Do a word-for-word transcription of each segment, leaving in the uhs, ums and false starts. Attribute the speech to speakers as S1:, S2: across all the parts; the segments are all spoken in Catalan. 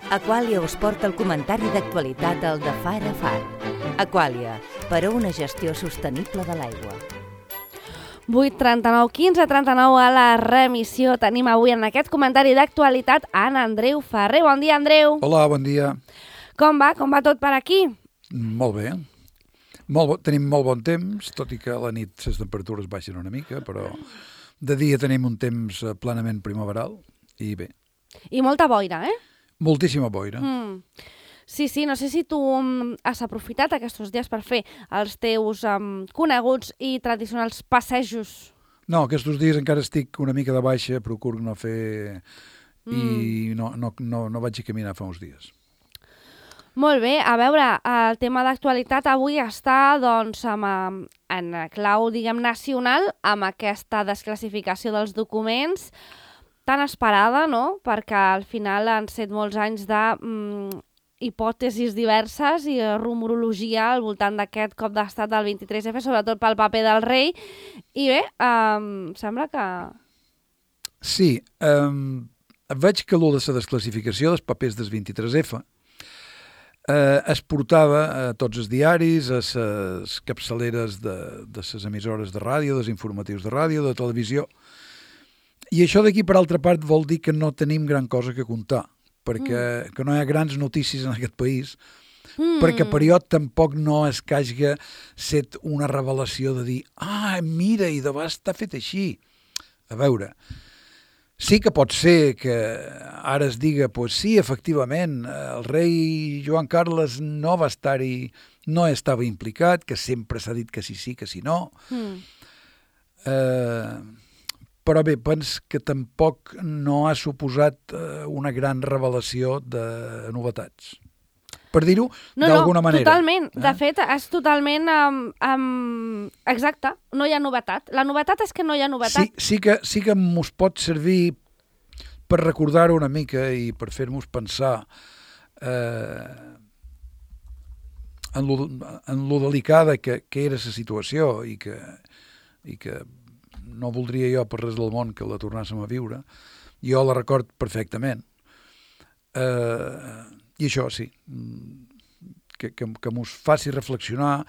S1: Aquàlia us porta el comentari d'actualitat al de Far a Far. Aquàlia, per a una gestió sostenible de l'aigua.
S2: vuit trenta-nou quinze trenta-nou a la remissió. Tenim avui en aquest comentari d'actualitat en Andreu Ferrer. Bon dia, Andreu.
S3: Hola, bon dia.
S2: Com va? Com va tot per aquí?
S3: Molt bé. Molt bo, tenim molt bon temps, tot i que a la nit les temperatures baixen una mica, però de dia tenim un temps plenament primaveral i bé.
S2: I molta boira, eh?
S3: Moltíssima boira.
S2: Mm. Sí, sí, no sé si tu has aprofitat aquests dies per fer els teus um, coneguts i tradicionals passejos.
S3: No, aquests dies encara estic una mica de baixa, procuro no fer... Mm. I no, no, no, no vaig a caminar fa uns dies.
S2: Molt bé, a veure, el tema d'actualitat avui està doncs, amb, en clau, diguem, nacional, amb aquesta desclassificació dels documents tan esperada, no? Perquè al final han set molts anys de mm, hipòtesis diverses i rumorologia al voltant d'aquest cop d'estat del vint-i-tres efa, sobretot pel paper del rei. I bé, um, sembla que...
S3: Sí, um, veig que l'u de la desclassificació dels papers del vint-i-tres efa Eh, es portava a tots els diaris, a les capçaleres de, de les emissores de ràdio, dels informatius de ràdio, de televisió. I això d'aquí, per altra part, vol dir que no tenim gran cosa que contar, perquè mm. que no hi ha grans notícies en aquest país, mm. perquè period tampoc no es que hagi set una revelació de dir ah, mira, i de vegades està fet així. A veure... Sí que pot ser que ara es diga, pues sí, efectivament, el rei Joan Carles no va estar-hi, no estava implicat, que sempre s'ha dit que sí, sí, que sí, no. Mm. Eh, però bé, pens que tampoc no ha suposat una gran revelació de novetats. Per dir-ho
S2: no,
S3: d'alguna
S2: no,
S3: manera.
S2: Totalment.
S3: Eh?
S2: De fet, és totalment... Um, um, exacte, no hi ha novetat. La novetat és que no hi ha novetat.
S3: Sí, sí que, sí que mos pot servir per recordar-ho una mica i per fer-nos pensar eh, en, lo, en lo delicada que, que era la situació i que, i que no voldria jo per res del món que la tornàssim a viure. Jo la record perfectament. Eh, I això sí, que, que, que mos faci reflexionar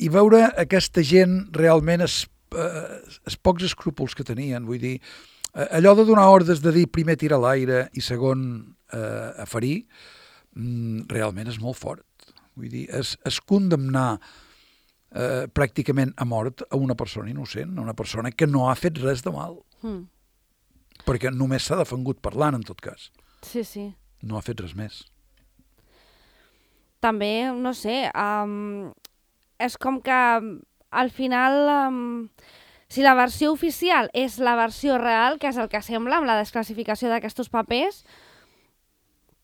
S3: i veure aquesta gent realment els, eh, els pocs escrúpols que tenien. Vull dir, allò de donar ordres de dir primer tira a l'aire i segon eh, a ferir, realment és molt fort. Vull dir, és, és condemnar eh, pràcticament a mort a una persona innocent, a una persona que no ha fet res de mal. Mm. Perquè només s'ha defengut parlant, en tot cas.
S2: Sí, sí.
S3: No ha fet res més.
S2: També, no sé, um, és com que al final, um, si la versió oficial és la versió real, que és el que sembla amb la desclassificació d'aquests papers,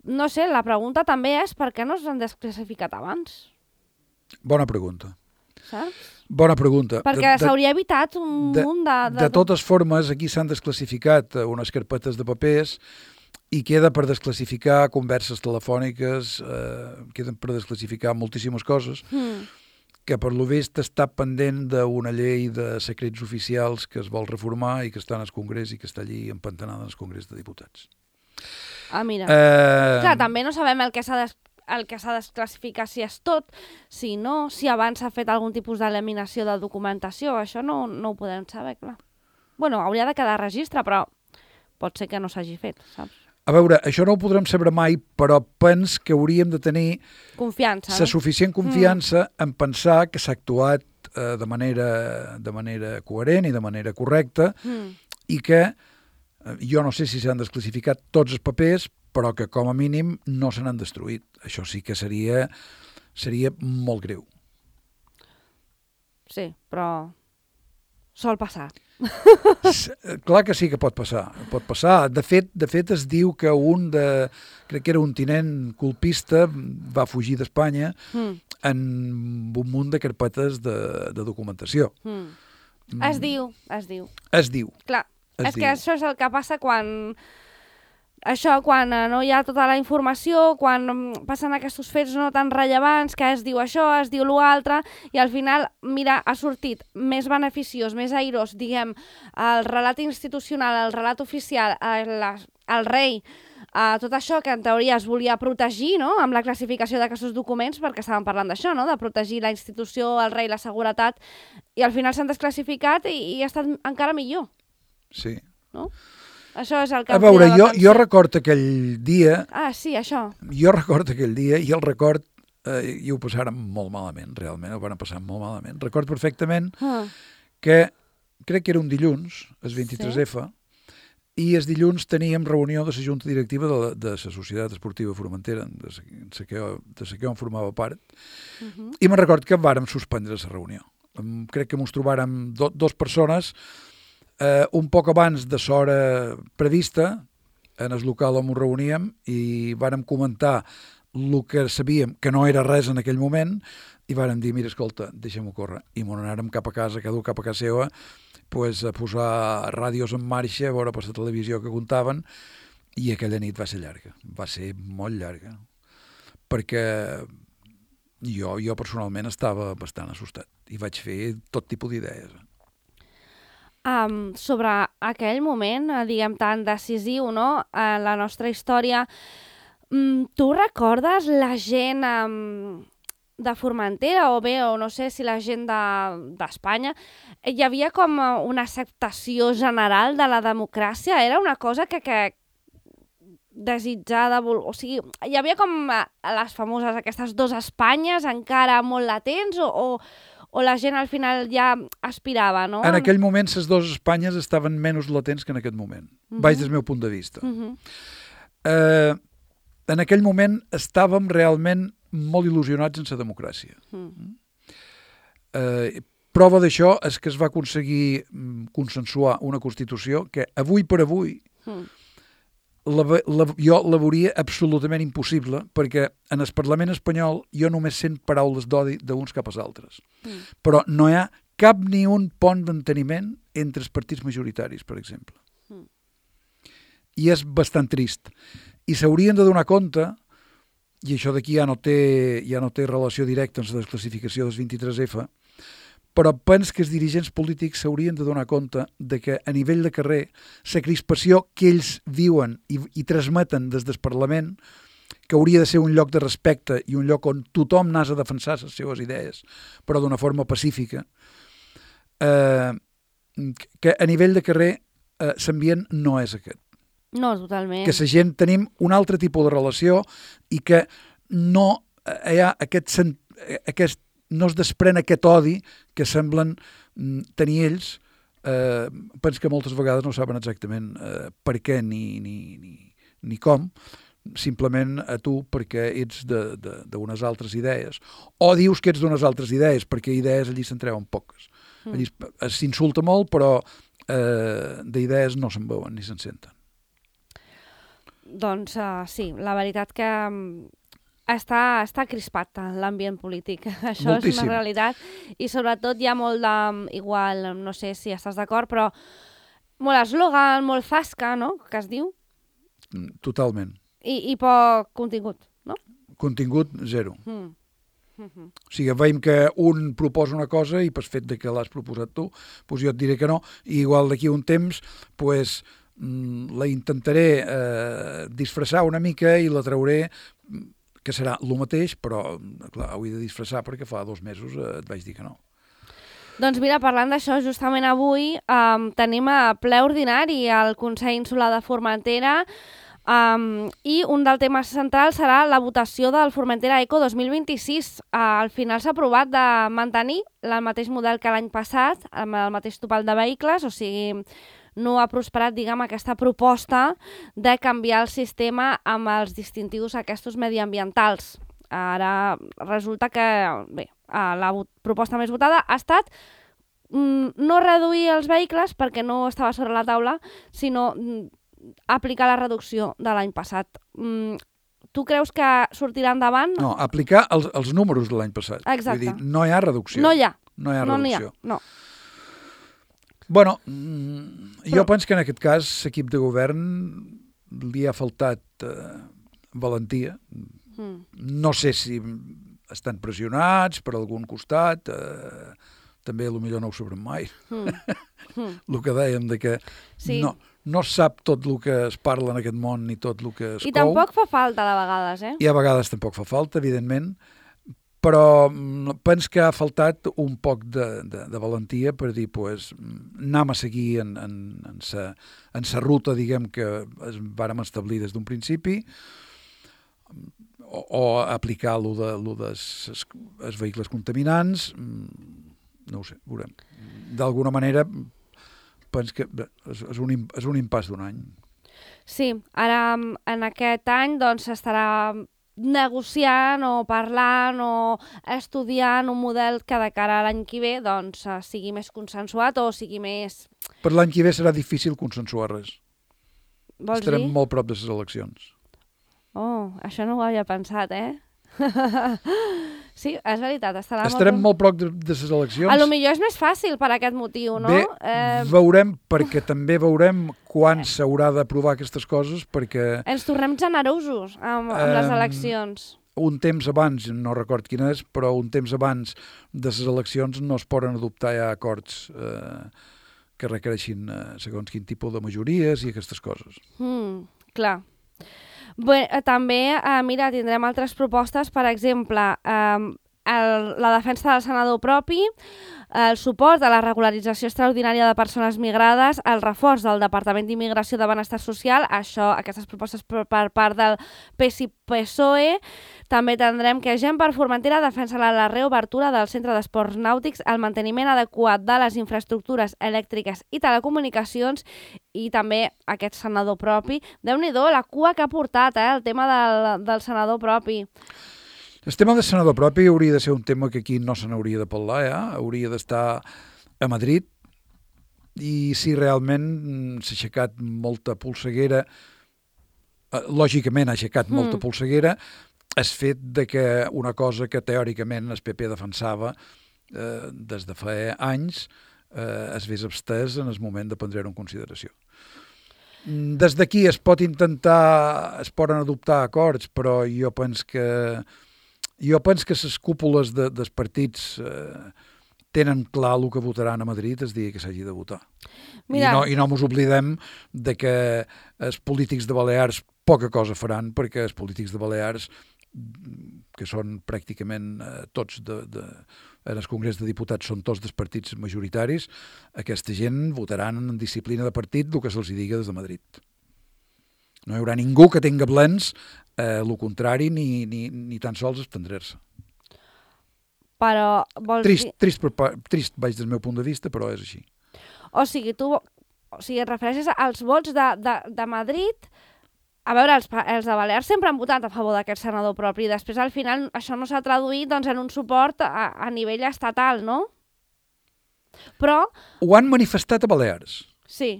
S2: no sé, la pregunta també és per què no s'han desclassificat abans?
S3: Bona pregunta.
S2: Saps?
S3: Bona pregunta.
S2: Perquè s'hauria evitat un
S3: de,
S2: munt de...
S3: De, de totes formes, aquí s'han desclassificat unes carpetes de papers i queda per desclassificar converses telefòniques, eh, queden per desclassificar moltíssimes coses, mm. que per lo vist està pendent d'una llei de secrets oficials que es vol reformar i que està en el Congrés i que està allí empantanada en el Congrés de Diputats.
S2: Ah, mira.
S3: Eh...
S2: Clar, també no sabem el que s'ha des... el que s'ha desclassificat si és tot, si no, si abans s'ha fet algun tipus d'eliminació de documentació, això no, no ho podem saber, clar. Bueno, hauria de quedar registre, però pot ser que no s'hagi fet, saps?
S3: A veure, això no ho podrem saber mai, però pens que hauríem de tenir
S2: confiança,
S3: la suficient confiança mm. en pensar que s'ha actuat eh, de, manera, de manera coherent i de manera correcta mm. i que eh, jo no sé si s'han desclassificat tots els papers, però que com a mínim no se n'han destruït. Això sí que seria, seria molt greu.
S2: Sí, però sol passar.
S3: Clar que sí que pot passar. Pot passar. De fet, de fet es diu que un de, crec que era un tinent colpista, va fugir d'Espanya mm. en un munt de carpetes de, de documentació. Mm.
S2: Mm. Es diu, es diu.
S3: Es diu.
S2: Clar,
S3: es
S2: és
S3: diu.
S2: que això és el que passa quan... Això, quan no hi ha tota la informació, quan passen aquests fets no tan rellevants, que es diu això, es diu l'altre, i al final, mira, ha sortit més beneficiós, més airós, diguem, el relat institucional, el relat oficial, el, el rei, Uh, tot això que en teoria es volia protegir, no?, amb la classificació d'aquests documents, perquè estàvem parlant d'això, no?, de protegir la institució, el rei, la seguretat, i al final s'han desclassificat i, i ha estat encara millor.
S3: Sí.
S2: No? Això és el que...
S3: A veure, jo, jo record aquell dia...
S2: Ah, sí, això.
S3: Jo record aquell dia i el record, eh, i ho passàrem molt malament, realment, ho van passar molt malament. Record perfectament
S2: Ah.
S3: que crec que era un dilluns, el vint-i-tres efa, i el dilluns teníem reunió de la junta directiva de la, de la Societat Esportiva Formentera, de la que, de la que on formava part,
S2: Uh -huh.
S3: i me'n record que vàrem suspendre la reunió. Crec que ens trobàrem do, dos persones eh, un poc abans de l'hora prevista en el local on ens reuníem i vàrem comentar el que sabíem, que no era res en aquell moment, i vàrem dir, mira, escolta, deixem-ho córrer. I m'ho anàrem cap a casa, cada un cap a casa seva, pues, a posar ràdios en marxa, a veure per la televisió que comptaven, i aquella nit va ser llarga, va ser molt llarga, perquè jo, jo personalment estava bastant assustat i vaig fer tot tipus d'idees.
S2: Um, sobre aquell moment, eh, diguem, tan decisiu, no?, en la nostra història, um, tu recordes la gent um, de Formentera, o bé, o no sé si la gent d'Espanya, de, hi havia com una acceptació general de la democràcia? Era una cosa que, que desitjada, o sigui, hi havia com les famoses, aquestes dues Espanyes encara molt latents, o, o, o la gent al final ja aspirava, no?
S3: En aquell moment les dues Espanyes estaven menys latents que en aquest moment, uh -huh. baix del meu punt de vista. Uh -huh. eh, en aquell moment estàvem realment molt il·lusionats en la democràcia. Uh -huh. eh, prova d'això és que es va aconseguir consensuar una Constitució que avui per avui uh -huh. La, la, jo la veuria absolutament impossible, perquè en el Parlament espanyol jo només sent paraules d'odi d'uns cap als altres. Mm. Però no hi ha cap ni un pont d'enteniment entre els partits majoritaris, per exemple. Mm. I és bastant trist. I s'haurien de donar compte, i això d'aquí ja no té, ja no té relació directa amb la desclassificació del vint-i-tres efa, però penso que els dirigents polítics s'haurien de donar compte de que a nivell de carrer la crispació que ells viuen i, i transmeten des del Parlament, que hauria de ser un lloc de respecte i un lloc on tothom n'ha de defensar les seves idees, però d'una forma pacífica, eh, que a nivell de carrer eh, l'ambient no és aquest.
S2: No, totalment.
S3: Que la gent tenim un altre tipus de relació i que no hi ha aquest, aquest no es desprèn aquest odi que semblen tenir ells. Eh, penso que moltes vegades no saben exactament eh, per què ni, ni, ni, ni com, simplement a tu perquè ets d'unes altres idees. O dius que ets d'unes altres idees, perquè idees allí se'n treuen poques. Mm. Allí s'insulta molt, però eh, d'idees no se'n veuen ni se'n senten.
S2: Doncs uh, sí, la veritat que Està, està crispat l'ambient polític, això Moltíssim. És una realitat, i sobretot hi ha molt de, igual, no sé si estàs d'acord, però molt eslògan, molt zasca, no?, que es diu.
S3: Totalment.
S2: I, i poc contingut, no?
S3: Contingut, zero. Mm.
S2: Mm-hmm.
S3: O sigui, veiem que un proposa una cosa i per fet de que l'has proposat tu, doncs jo et diré que no, i igual d'aquí un temps, doncs la intentaré eh, disfressar una mica i la trauré, que serà el mateix, però clar, ho he de disfressar perquè fa dos mesos eh, et vaig dir que no.
S2: Doncs mira, parlant d'això, justament avui um, tenim a ple ordinari al Consell Insular de Formentera um, i un dels temes centrals serà la votació del Formentera Eco dos mil vint-i-sis. Uh, al final s'ha aprovat de mantenir el mateix model que l'any passat, amb el mateix topal de vehicles, o sigui, no ha prosperat, diguem, aquesta proposta de canviar el sistema amb els distintius aquests mediambientals. Ara resulta que, bé, la proposta més votada ha estat no reduir els vehicles perquè no estava sobre la taula, sinó aplicar la reducció de l'any passat. Tu creus que sortirà endavant?
S3: No, aplicar els, els números de l'any passat.
S2: Exacte.
S3: Vull dir, no hi ha reducció.
S2: No hi ha.
S3: No hi ha
S2: no
S3: reducció.
S2: Hi ha. No.
S3: Bueno, jo Però... penso que en aquest cas l'equip de govern li ha faltat eh, valentia. Mm. No sé si estan pressionats per algun costat, eh, també potser no ho sabrem mai. Mm. Mm. El que dèiem de que sí. no, no es sap tot el que es parla en aquest món ni tot el que es
S2: I
S3: cou.
S2: tampoc fa falta de vegades, eh?
S3: I a vegades tampoc fa falta, evidentment, però penso que ha faltat un poc de, de, de valentia per dir, pues, anem a seguir en, en, en, sa, en sa ruta, diguem, que es vàrem establir des d'un principi, o, o aplicar lo de, lo dels els vehicles contaminants, no ho sé, veurem. D'alguna manera, penso que és, és, un, és un impàs d'un any.
S2: Sí, ara en aquest any doncs s'estarà negociant o parlant o estudiant un model que de cara a l'any que ve doncs sigui més consensuat o sigui més...
S3: Per l'any que ve serà difícil consensuar res.
S2: Vols
S3: Estarem
S2: dir?
S3: molt prop de les eleccions.
S2: Oh, això no ho havia pensat, eh? Sí, és veritat. Estarà
S3: Estarem
S2: molt...
S3: molt prop de, de les eleccions.
S2: A lo millor és més fàcil per aquest motiu, no?
S3: Bé,
S2: eh...
S3: veurem, perquè també veurem quan s'haurà d'aprovar aquestes coses, perquè...
S2: Ens tornem generosos amb, amb les eleccions.
S3: Un temps abans, no record quin és, però un temps abans de les eleccions no es poden adoptar ja acords eh, que requereixin eh, segons quin tipus de majories i aquestes coses.
S2: Mm, clar. Bé, també, eh, mira, tindrem altres propostes, per exemple, eh, el, la defensa del senador propi, el suport a la regularització extraordinària de persones migrades, el reforç del Departament d'Immigració de Benestar Social, això, aquestes propostes per, per part del P S I P S O E. També tindrem que Gent per Formentera defensa la reobertura del Centre d'Esports Nàutics, el manteniment adequat de les infraestructures elèctriques i telecomunicacions i també aquest senador propi. Déu-n'hi-do, la cua que ha portat, eh, el tema del, del senador propi.
S3: El tema del senador propi hauria de ser un tema que aquí no se n'hauria de parlar, ja? Hauria d'estar a Madrid, i si realment s'ha aixecat molta polseguera, lògicament ha aixecat mm. molta polseguera, és fet de que una cosa que teòricament el P P defensava eh, des de fa anys eh, es vés abstès en el moment de prendre-ho en consideració. Des d'aquí es pot intentar, es poden adoptar acords, però jo penso que Jo penso que les cúpules de, dels partits eh, tenen clar el que votaran a Madrid el dia que s'hagi de votar. Mira. I no, i no mos oblidem de que els polítics de Balears poca cosa faran, perquè els polítics de Balears, que són pràcticament eh, tots de, de, en el Congrés de Diputats són tots dels partits majoritaris, aquesta gent votaran en disciplina de partit el que se'ls diga des de Madrid. No hi haurà ningú que tinga plens eh, el contrari ni, ni, ni tan sols abstindre-se.
S2: Però vols
S3: trist,
S2: dir...
S3: Trist, trist, trist vaig del meu punt de vista, però és així.
S2: O sigui, tu o sigui, et refereixes als vots de, de, de Madrid. A veure, els, els de Balears sempre han votat a favor d'aquest senador propi i després al final això no s'ha traduït doncs, en un suport a, a nivell estatal, no? Però...
S3: Ho han manifestat a Balears.
S2: Sí.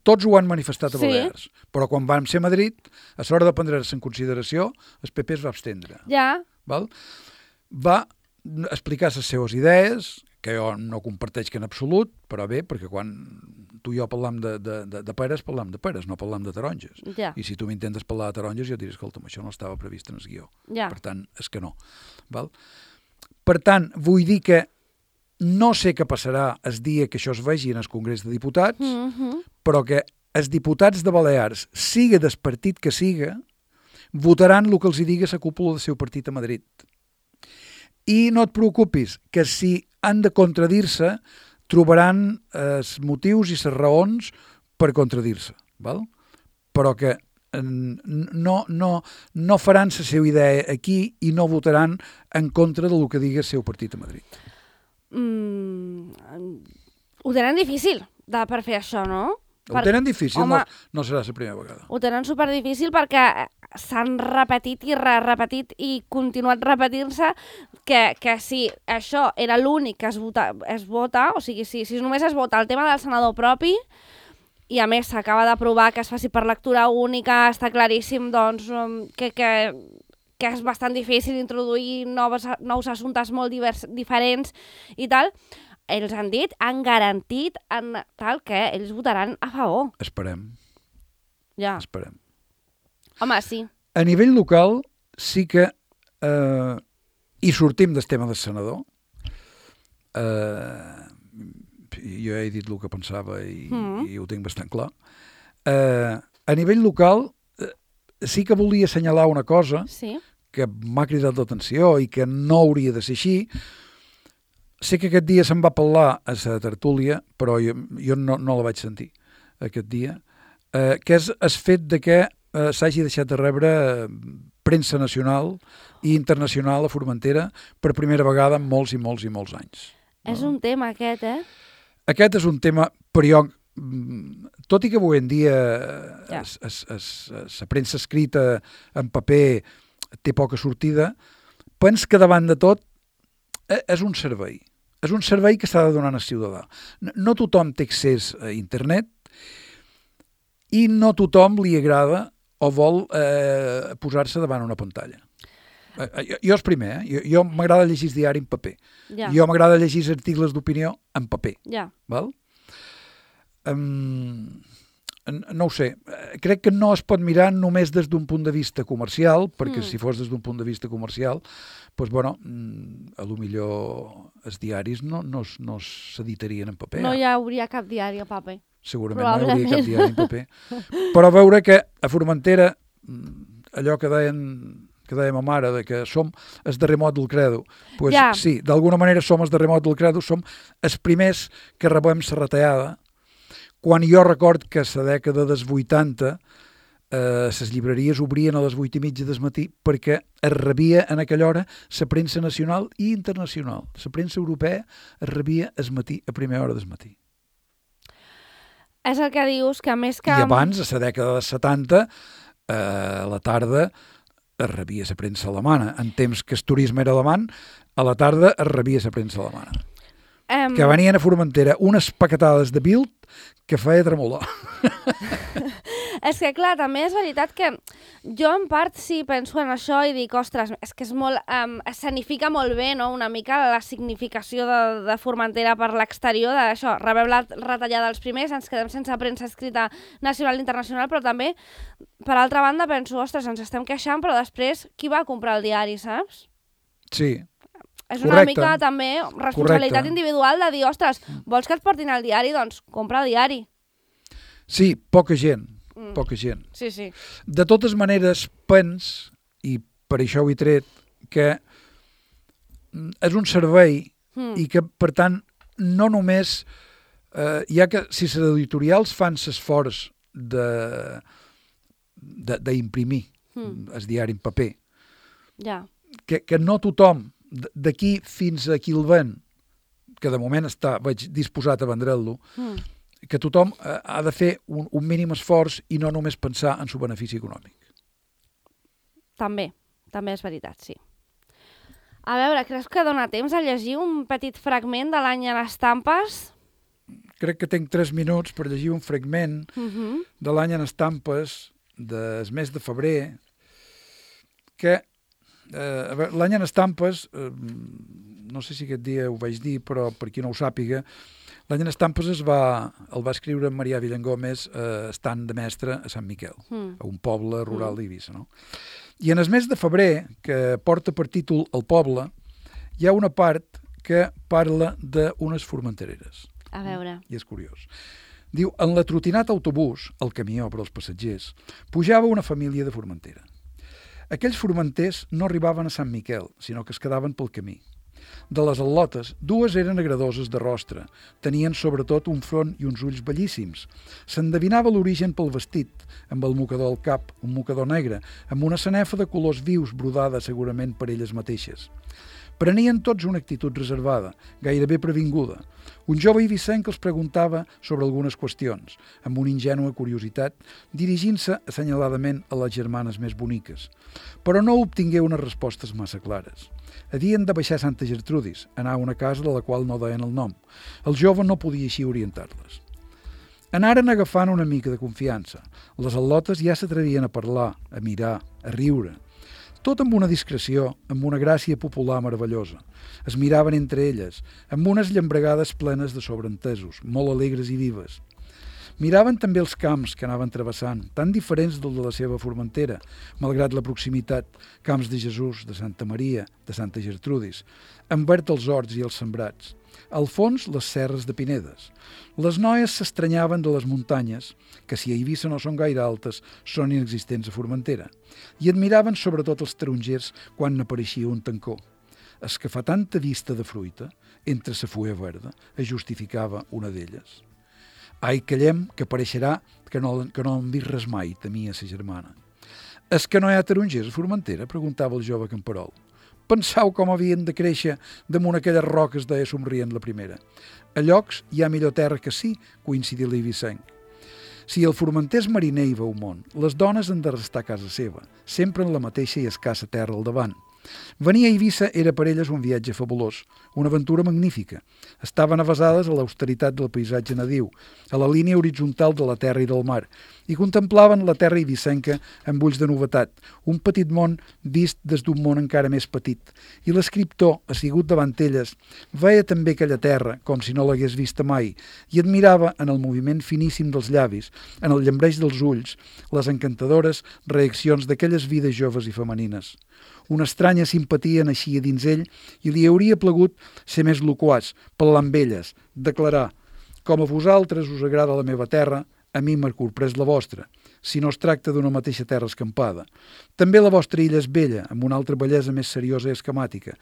S3: Tots ho han manifestat a
S2: sí.
S3: Balears, però quan vam ser a Madrid, a l'hora de prendre-se en consideració, el P P es va abstendre.
S2: Ja.
S3: Val? Va explicar les seves idees, que jo no comparteixo en absolut, però bé, perquè quan tu i jo parlam de, de, de, de peres, parlam de peres, no parlam de taronges.
S2: Ja.
S3: I si tu m'intentes parlar de taronges, jo diré, escolta'm, això no estava previst en el guió.
S2: Ja.
S3: Per tant, és que no. Val? Per tant, vull dir que no sé què passarà el dia que això es vegi en el Congrés de Diputats,
S2: mm-hmm.
S3: però que els diputats de Balears, siga del partit que siga, votaran el que els diga la cúpula del seu partit a Madrid. I no et preocupis, que si han de contradir-se, trobaran els motius i les raons per contradir-se. Val? Però que no, no, no faran la seva idea aquí i no votaran en contra del que digui el seu partit a Madrid.
S2: Mm, ho tenen difícil de, per fer això, no?
S3: Ho
S2: per...
S3: tenen difícil,
S2: Home,
S3: no, no serà la primera vegada.
S2: Ho tenen superdifícil perquè s'han repetit i re-repetit i continuat repetint-se que, que si això era l'únic que es vota, es vota o sigui, si, si només es vota el tema del senador propi i a més s'acaba d'aprovar que es faci per lectura única, està claríssim doncs, que, que, que és bastant difícil introduir noves, nous assumptes molt divers, diferents i tal, ells han dit, han garantit en tal que ells votaran a favor.
S3: Esperem.
S2: Ja.
S3: Esperem.
S2: Home, sí.
S3: A nivell local sí que eh, hi sortim del tema del senador. Eh, jo he dit el que pensava i, mm. i ho tinc bastant clar. Eh, a nivell local, eh, sí que volia assenyalar una cosa
S2: Sí.
S3: que m'ha cridat l'atenció i que no hauria de ser així. Sé que aquest dia se'n va parlar a la tertúlia, però jo, jo no, no la vaig sentir aquest dia, eh, que és el fet de que eh, s'hagi deixat de rebre eh, premsa nacional i internacional a Formentera per primera vegada en molts i molts i molts anys.
S2: No? És un tema aquest, eh?
S3: Aquest és un tema, però jo, tot i que avui en dia
S2: Ja.
S3: la premsa escrita en paper té poca sortida, pens que davant de tot eh, és un servei. És un servei que s'ha de donar al ciutadà. No, no tothom té accés a internet i no tothom li agrada o vol eh, posar-se davant una pantalla. Eh, jo, jo és primer, eh? Jo, jo m'agrada llegir el diari en paper.
S2: Ja.
S3: Jo m'agrada llegir articles d'opinió en paper.
S2: Ja.
S3: Val? Um, no ho sé, crec que no es pot mirar només des d'un punt de vista comercial, perquè mm. si fos des d'un punt de vista comercial, doncs, bueno, a lo millor els diaris no, no, no s'editarien en paper.
S2: No hi hauria cap diari a paper.
S3: Segurament no hi hauria cap diari en paper. Però veure que a Formentera, allò que deien que deia ma mare, de que som el darrer mot del credo, pues,
S2: ja.
S3: sí, d'alguna manera som el darrer mot del credo, som els primers que rebem la retallada, quan jo record que a la dècada dels vuitanta eh, les llibreries obrien a les vuit i mitja del matí perquè es rebia en aquella hora la premsa nacional i internacional. La premsa europea es rebia al matí, a primera hora del matí.
S2: És el que dius, que més que...
S3: I abans, a la dècada dels setanta, eh, a la tarda es rebia la premsa alemana. En temps que el turisme era alemany, a la tarda es rebia la premsa alemana. Um... Que venien a Formentera unes paquetades de Bild que feia tremolar.
S2: És que, clar, també és veritat que jo en part sí penso en això i dic, ostres, és que és molt, um, escenifica molt bé, no?, una mica la significació de, de Formentera per l'exterior, d'això, rebem la retallada dels primers, ens quedem sense premsa escrita nacional i internacional, però també, per altra banda, penso, ostres, ens estem queixant, però després, qui va comprar el diari, saps?
S3: Sí.
S2: És una
S3: correcte.
S2: mica també responsabilitat
S3: correcte.
S2: individual de dir, ostres, vols que et portin el diari? Doncs compra el diari.
S3: Sí, poca gent,
S2: Mm.
S3: poca gent.
S2: Sí, sí.
S3: De totes maneres, pens, i per això ho he tret, que és un servei
S2: Mm.
S3: i que, per tant, no només... Eh, ja que si les editorials fan l'esforç d'imprimir
S2: Mm.
S3: el diari en paper,
S2: Ja.
S3: que, que no tothom, d'aquí fins a qui el ven, que de moment està, veig, disposat a vendre'l-lo,
S2: Mm.
S3: que tothom eh, ha de fer un, un mínim esforç i no només pensar en el benefici econòmic.
S2: També, també és veritat, sí. A veure, creus que dona temps a llegir un petit fragment de l'any en estampes?
S3: Crec que tinc tres minuts per llegir un fragment
S2: Uh-huh.
S3: de l'any en estampes del mes de febrer, que eh, a veure, l'any en estampes, eh, no sé si aquest dia ho vaig dir, però per qui no ho sàpiga, l'any en estampes es va, el va escriure Marià Villangómez eh, estant de mestre a Sant Miquel,
S2: Mm.
S3: a un poble rural d'Eivissa, no? I en el mes de febrer, que porta per títol El poble, hi ha una part que parla d'unes formentereres.
S2: A veure.
S3: I és curiós. Diu, en la trotinat autobús, el camió per als passatgers, pujava una família de Formentera. Aquells formenters no arribaven a Sant Miquel, sinó que es quedaven pel camí. De les al·lotes, dues eren agradoses de rostre, tenien sobretot un front i uns ulls bellíssims. S'endevinava l'origen pel vestit, amb el mocador al cap, un mocador negre, amb una sanefa de colors vius brodada segurament per elles mateixes. Prenien tots una actitud reservada, gairebé previnguda. Un jove eivissenc els preguntava sobre algunes qüestions, amb una ingènua curiositat, dirigint-se assenyaladament a les germanes més boniques. Però no obtingué unes respostes massa clares. Havien de baixar a Santa Gertrudis, anar a una casa de la qual no deien el nom. El jove no podia així orientar-les. Anaren agafant una mica de confiança. Les al·lotes ja s'atrevien a parlar, a mirar, a riure. Tot amb una discreció, amb una gràcia popular meravellosa. Es miraven entre elles, amb unes llambregades plenes de sobreentesos, molt alegres i vives. Miraven també els camps que anaven travessant, tan diferents del de la seva Formentera, malgrat la proximitat, camps de Jesús, de Santa Maria, de Santa Gertrudis, en verd els horts i els sembrats. Al fons, les serres de Pinedes. Les noies s'estranyaven de les muntanyes, que si a Eivissa no són gaire altes, són inexistents a Formentera, i admiraven sobretot els tarongers quan n'apareixia un tancó. Es que fa tanta vista de fruita, entre sa fulla verda, es justificava una d'elles. Ai, callem, que pareixerà que no, que no hem vist res mai, temia sa germana. És que no hi ha tarongers a Formentera? Preguntava el jove camperol. Pensau com havien de créixer damunt aquelles roques, deia somrient la primera. A llocs hi ha millor terra que sí, coincidí l'eivissenc. Si el formenter és mariner i veu món, les dones han de restar a casa seva, sempre en la mateixa i escassa terra al davant. Venir a Eivissa era per elles un viatge fabulós, una aventura magnífica. Estaven avasades a l'austeritat del paisatge nadiu, a la línia horitzontal de la terra i del mar, i contemplaven la terra eivissenca amb ulls de novetat, un petit món vist des d'un món encara més petit. I l'escriptor, assigut davant elles, veia també aquella terra com si no l'hagués vista mai i admirava en el moviment finíssim dels llavis, en el llambreig dels ulls, les encantadores reaccions d'aquelles vides joves i femenines. Una estranya simpatia naixia dins ell i li hauria plegut ser més loquaç, parlar amb elles, declarar: com a vosaltres us agrada la meva terra, a mi m'ha corprès la vostra, si no es tracta d'una mateixa terra escampada. També la vostra illa és bella, amb una altra bellesa més seriosa i esquemàtica.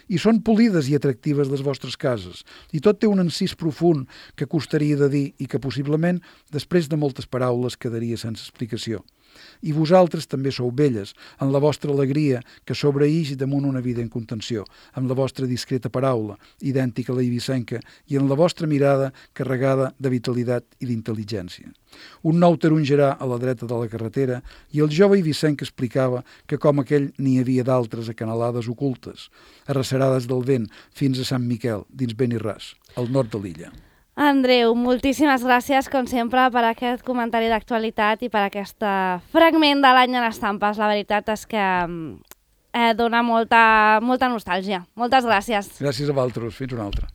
S3: I són polides i atractives les vostres cases, i tot té un encís profund que costaria de dir i que possiblement, després de moltes paraules, quedaria sense explicació. I vosaltres també sou belles, en la vostra alegria que sobreïix damunt una vida en contenció, amb la vostra discreta paraula, idèntica a la eivissenca, i en la vostra mirada carregada de vitalitat i d'intel·ligència. Un nou tarongerà a la dreta de la carretera i el jove eivissenc explicava que com aquell n'hi havia d'altres acanalades ocultes, arrecerades del vent fins a Sant Miquel, dins Benirràs, al nord de l'illa.
S2: Andreu, moltíssimes gràcies, com sempre, per aquest comentari d'actualitat i per aquest fragment de l'any en estampes. La veritat és que eh, dona molta, molta nostàlgia. Moltes gràcies.
S3: Gràcies a vosaltres. Fins una altra.